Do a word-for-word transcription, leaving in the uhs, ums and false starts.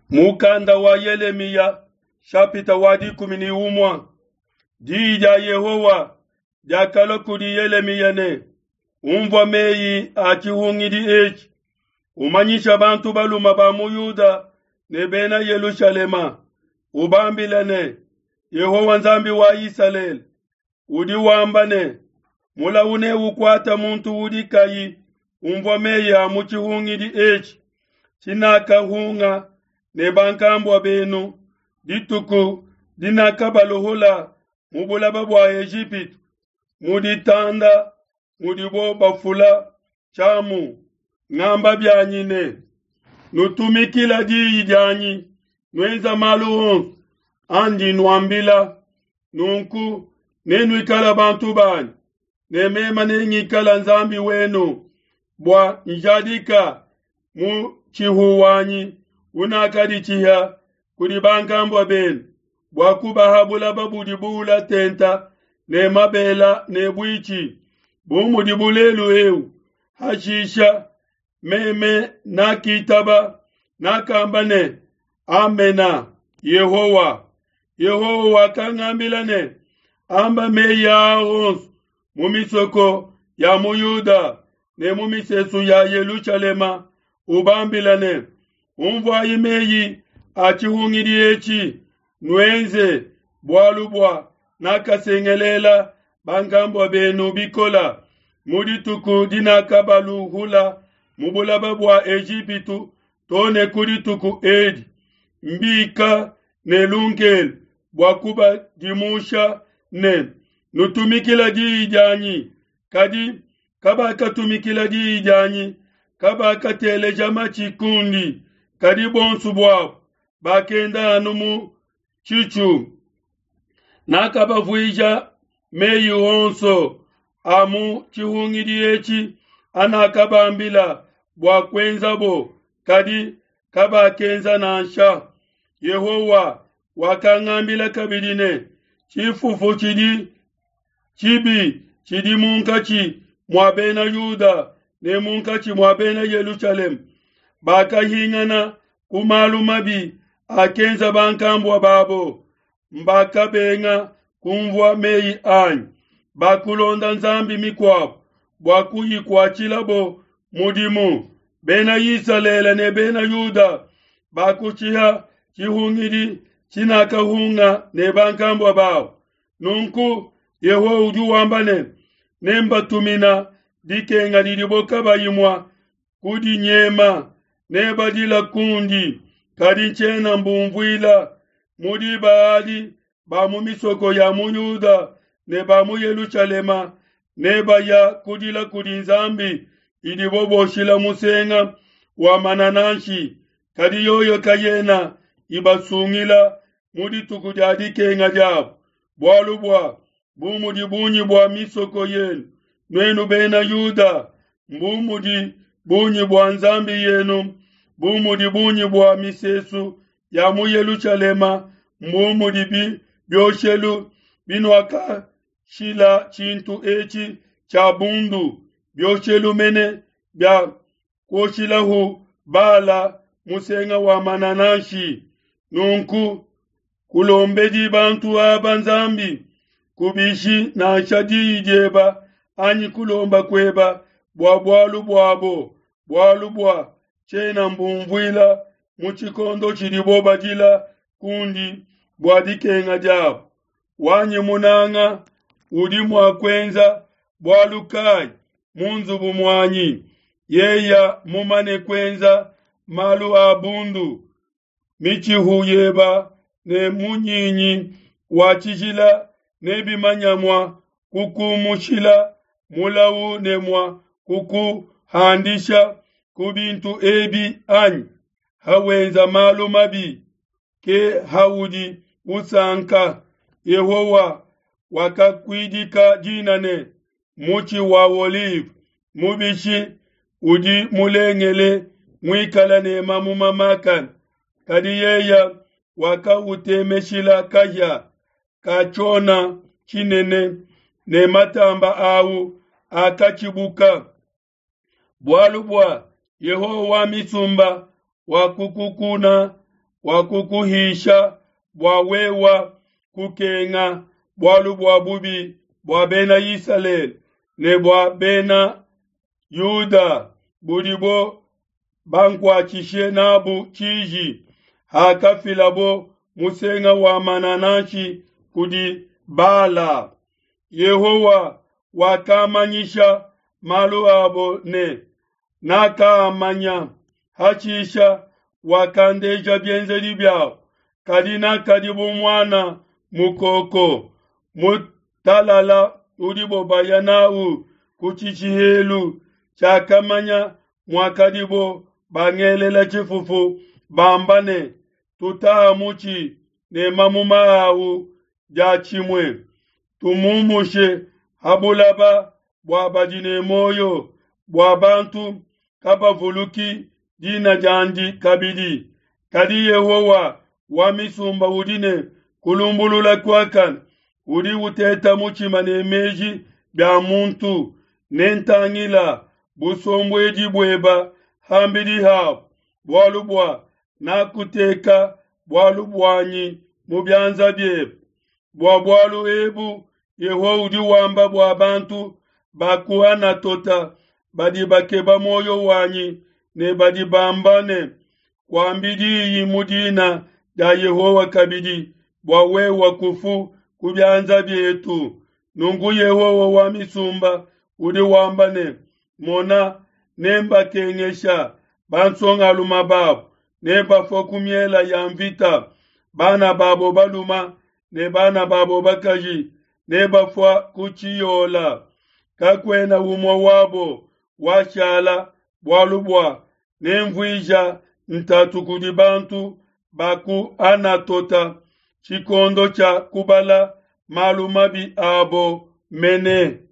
Mukanda wa Yelemiya shapita wa dikumi ne umue. Diyi dia Yehowa diakalua kudi Yelemiya ne, Umvua meyi a tshihungidi etshi, umanyisha bantu balume ba mu Yuda ne bena Yelushalema, ubambile ne, Yehowa Nzambi wa Isalele udi wamba ne, mulawu neukuate muntu udi kayi umvua meyi a mu tshihungidi etshi tshinakahunga ne bankambua benu dituku dinakabaluhula mu bulaba bua Ejipitu, mu ditanda mudibo bafula tshiamu, ngamba bianyi ne, nutumikila diyi dianyi, nuenza malu onso andi nuambila, nunku nenuikale bantu banyi, ne meme nengikale Nzambi wenu, bua njadika mutshihu wanyi unakaditshiha kudi bankambua benu, bua kubaha bulaba budi buula tente ne mabele ne buitshi, bu mudibu lelu eu. Hashisha meme nakitaba, nakamba ne, Amena, Yehowa. Yehowa wakangambila ne, amba meyi aa onso mu misoko ya mu Yuda ne mu misesu ya Yelushalema, ubambile ne, unvuayi meyi a tshihungidi etshi, nuenze, bualu bua nakasengelela bankambua benu bikole mu dituku dinakabaluhula mu bulaba bua Ejipitu to ne ku dituku edi, mbika ne lunkelu bua kubadimusha ne, nutumikile diyi dianyi. Kadi kabakatumikila diyi dianyi, kabakateleja matshi kundi, kadi bonso buabo bakenda anu mu tshitshu. Nakabavuija meyi onso a mu tshihungidi etshi anakabambila bua kuenzabo, kadi kabakenza nansha. Yehowa wakangambila kabidi ne, tshifufu tshidi tshibi tshidi munkatshi mua bena Yuda ne munkatshi mua bena Yelushalema, bakahingana ku malu mabi akenza bankambua babo, mbakabenga kunvua meyi anyi, bakulonda nzambi mikuabo bua kuyikuatshilabo mudimu. Bena Isalele ne bena Yuda bakushiha tshihungidi tshinakahunga ne bankambua babo. Nunku Yehowa udi wamba ne, nembatumina dikenga didibo kabayi mua kudinyema, nebadila kundi, kadi ntshiena mbunvuila. Mu diba adi ba mu misoko ya mu Yuda ne ba mu Yelushalema nebaya kudila kudi nzambi idibo boshila musenga wa manananshi, kadi yoyo kayena ibasungila mu dituku dia dikenga diabo. Bualu bua bu mudi bungi bua misoko yenu, nuenu bena Yuda, mbu mudi bungi bua nzambi yenu, bu mudi bungi bua misesu ya mu Yelushalema, mbu mudi bioshelu binuakashila tshintu etshi tshia bundu, bioshelu mene bia kuoshilahu Bala musenga wa manananshi. Nunku kulombedi bantu aba Nzambi, kubishi nansha diyi dieba anyi kulomba kueba bua bualu buabo, bualu bua tshiena mbunvuila mu tshikondo tshidibo badila kundi bua dikenga diabo. Wanyi munanga udi mua kuenza bualu kai mu nzubu muanyi, yeya mumane kuenza malu a bundu? Mitshihu yeba ne munyinyi wa tshijila nebimanye mua kukumushila mulawu ne mua kukuhandisha ku bintu ebi anyi? Hawenza malu mabi, ke haudi usanka. Yehowa wakakuidika dina ne, mutshi wa olive mubishi udi mulengele muikale ne mamuma makane, kadi yeye wakautemeshila kahia ka tshiona tshinene, ne matamba awu akatshibuka. Bualu bua Yehowa wa misumba wakukukuna, Wakukuhisha bua wewa kukenga bualu bua bubi bua Bena Isalele ne bua Bena Yuda budibo bankuatshishe n'abu tshiji, hakafilabo musenga wa manananshi kudi Bala. Yehowa wakamanyisha malu abo ne nakaamanya, hashisha wakandeja bienzedi biabo. Kadi nakadi bu muana mukoko mutalala udibo baya n'au ku tshishihelu, tshiakamanya muakadibo bangelela tshifufu, bamba ne, Tutaha mutshi ne mamuma au diatshimue, tumumushe ha bulaba bua badi ne muoyo, bua bantu kabavuluki dina diandi kabidi. Kadi Yehowa wa misumba udi ne kulumbulula kuakane, udi uteta mutshima ne meji bia muntu. Nentangila busombuedi bueba ham'bidi habo, bualu bua nakuteka bualu buanyi mu bianza biebe. Bua bualu ebu Yehowa udi wamba bua bantu ba ku Anatota badi bakeba muoyo wanyi ne badi bamba ne, Kuambi diyi mu dina dia Yehowa kabidi, bua wewe kufu ku bianza bietu. Nunku Yehowa wa misumba udi wamba ne, Mona, nembakengesha bansongalume babo, nebafue ku miele ya mvita, bana babo balume ne bana babo bakaji nebafua ku tshiyola. Kakuena umue wabo washala, bualu bua nenvuija ntatu kudi bantu ba ku Anatota tshikondo tshia kubala malu mabi abo mene.